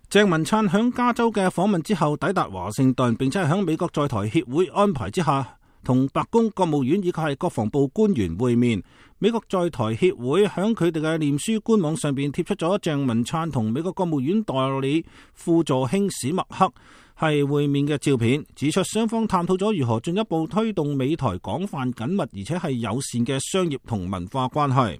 鄭文燦響加州嘅訪問之後抵達華盛頓，並且係響美國在台協會安排之下，同白宮、國務院以及係國防部官員會面。美國在台協會響佢哋嘅臉書官網上邊貼出咗鄭文燦同美國國務院代理副助卿史密克係會面嘅照片，指出雙方探討咗如何進一步推動美台廣泛緊密而且係友善嘅商業同文化關係。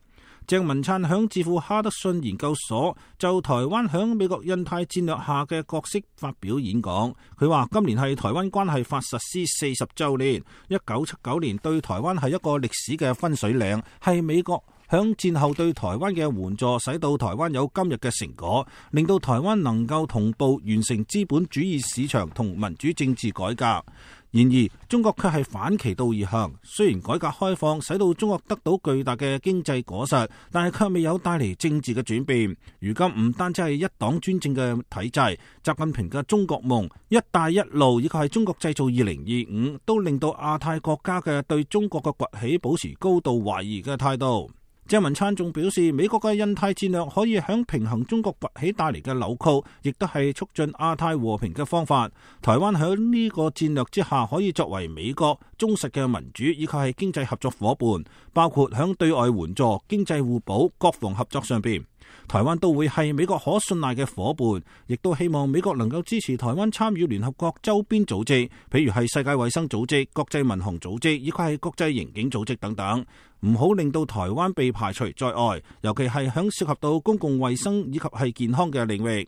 鄭文燦響智庫哈德遜研究所就台灣響美國印太戰略下嘅角色發表演講。佢話今年係台灣關係法實施40週年，1979年對台灣係一個歷史嘅分水嶺，係美國響戰後對台灣嘅援助，使到台灣有今日嘅成果，令到台灣能夠同步完成資本主義市場同民主政治改革。然而，中國卻係反其道而行。雖然改革開放使到中國得到巨大嘅經濟果實，但係卻未有帶嚟政治嘅轉變。如今唔單止係一黨專政嘅體制，習近平嘅中國夢、一帶一路以及係中國製造2025，都令到亞太國家嘅對中國嘅崛起保持高度懷疑嘅態度。鄭文燦仲表示，美國嘅印太戰略可以響平衡中國崛起帶嚟嘅扭曲，亦都係促進亞太和平嘅方法。台灣響呢個戰略之下，可以作為美國忠實嘅民主以及係經濟合作夥伴，包括響對外援助、經濟互補、國防合作上邊。台灣都會係美國可信賴嘅夥伴，亦都希望美國能夠支持台灣參與聯合國周邊組織，譬如係世界衛生組織、國際民航組織以及係國際刑警組織等等，唔好令到台灣被排除在外，尤其係響涉及到公共衛生以及係健康嘅領域。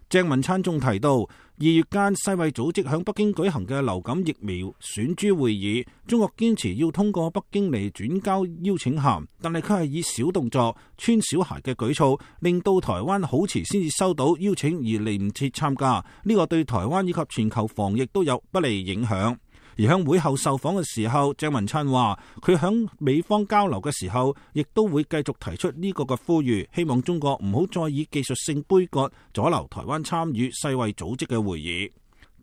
鄭文燦仲提到，2月間世衛組織響北京舉行嘅流感疫苗選株會議，中國堅持要通過北京嚟轉交邀請函，但係佢係以小動作、穿小鞋嘅舉措，令到台灣好遲先至收到邀請而嚟唔切參加，呢個對台灣以及全球防疫都有不利影響。而喺會後受訪嘅時候，鄭文燦話佢響美方交流嘅時候，亦都會繼續提出呢個嘅呼籲，希望中國唔好再以技術性杯葛阻撓台灣參與世衛組織嘅會議。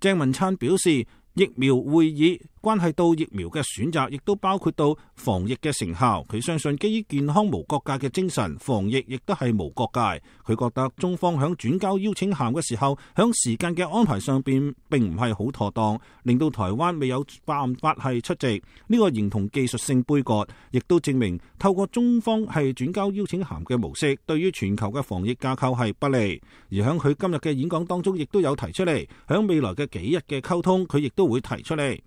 鄭文燦表示，疫苗會議關係到疫苗嘅選擇，亦都包括到防疫嘅成效。佢相信基於健康無國界嘅精神，防疫亦都係無國界。佢覺得中方響轉交邀請函嘅時候，響時間嘅安排上邊並唔係好妥當，令到台灣未有辦法係出席。呢個形同技術性杯葛，亦都證明透過中方係轉交邀請函嘅模式，對於全球嘅防疫架構係不利。而響佢今日嘅演講當中，亦都有提出嚟，響未來嘅幾日嘅溝通，佢亦都會提出嚟。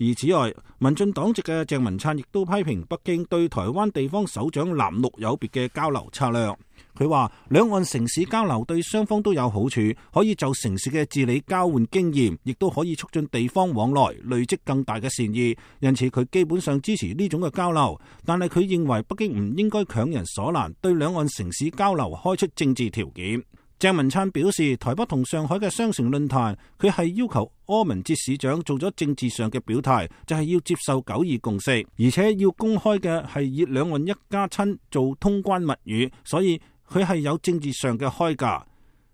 而此外，民進黨籍嘅鄭文燦亦都批評北京對台灣地方首長藍綠有別嘅交流策略。佢話兩岸城市交流對雙方都有好處，可以就城市嘅治理交換經驗，亦都可以促進地方往來，累積更大嘅善意。因此佢基本上支持呢種嘅交流，但係佢認為北京唔應該強人所難，對兩岸城市交流開出政治條件。鄭文燦表示，台北同上海嘅雙城論壇，佢係要求柯文哲市長做咗政治上嘅表態，就係要接受9·2共識，而且要公開嘅係以兩岸一家親做通關密語，所以佢係有政治上嘅開價。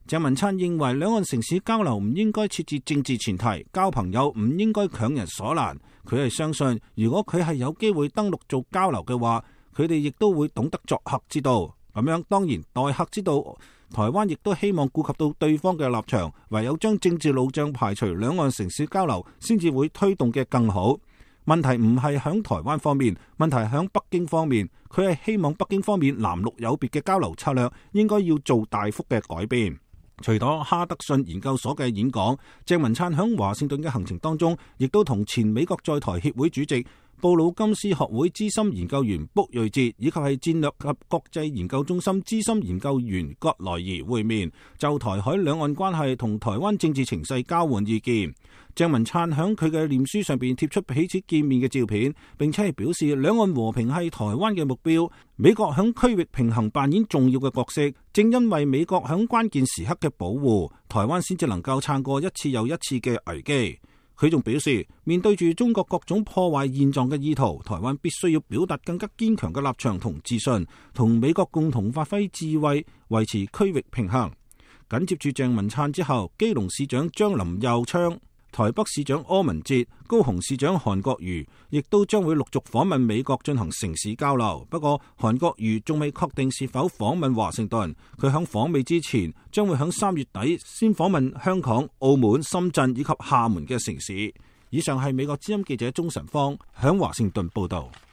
鄭文燦認為兩岸城市交流唔應該設置政治前提，交朋友唔應該強人所難。佢係相信，如果佢係有機會登陸做交流嘅話，佢哋亦都會懂得作客之道。咁樣當然待客之道，台灣亦都希望顧及到對方嘅立場，唯有將政治路障排除，兩岸城市交流先至會推動嘅更好。問題唔係響台灣方面，問題響北京方面。佢係希望北京方面藍綠有別嘅交流策略應該要做大幅嘅改變。除咗哈德遜研究所嘅演講，鄭文燦響華盛頓嘅行程當中，亦都同前美國在台協會主席、布魯金斯學會資深研究員卜瑞哲以及係戰略及國際研究中心資深研究員葛萊儀會面，就台海兩岸關係同台灣政治情勢交換意見。鄭文燦響佢嘅臉書上邊貼出彼此見面嘅照片，並且係表示兩岸和平係台灣嘅目標，美國響區域平衡扮演重要嘅角色，正因為美國響關鍵時刻嘅保護，台灣先至能夠撐過一次又一次嘅危機。佢仲表示，面對住中國各種破壞現狀嘅意圖，台灣必須要表達更加堅強嘅立場同自信，同美國共同發揮智慧，維持區域平衡。緊接住鄭文燦之後，基隆市長張林右昌台北市長柯文哲、高雄市長韓國瑜亦都將會陸續訪問美國進行城市交流。不過韓國瑜仲未確定是否訪問華盛頓，佢響訪美之前將會響3月底先訪問香港、澳門、深圳以及廈門嘅城市。以上係美國之音記者鍾晨芳響華盛頓報道。